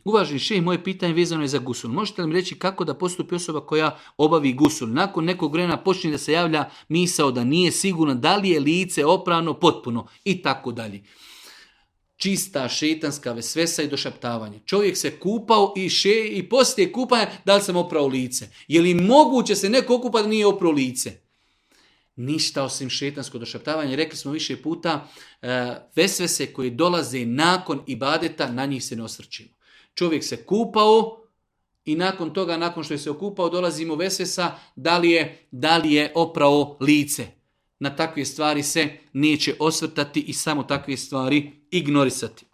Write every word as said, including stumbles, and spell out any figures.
Uvaženi šejh, moje pitanje vezano je za gusul. Možete li mi reći kako da postupi osoba koja obavi gusul? Nakon nekog vremena počne da se javlja misao da nije sigurno da li je lice oprano potpuno i tako dalje. Čista šetanska vesvesa i došaptavanje. Čovjek se kupao i, še, i poslije kupanja da li sam oprao lice. Je li moguće se neko okupa da nije oprao lice? Ništa osim šetansko došaptavanje. Rekli smo više puta, vesvese koje dolaze nakon ibadeta, na njih se ne osvrćimo. Čovjek se kupao i nakon toga, nakon što je se okupao, dolazimo vesvesa da li je, da li je oprao lice. Na takve stvari se neće osvrtati i samo takve stvari ignorisati.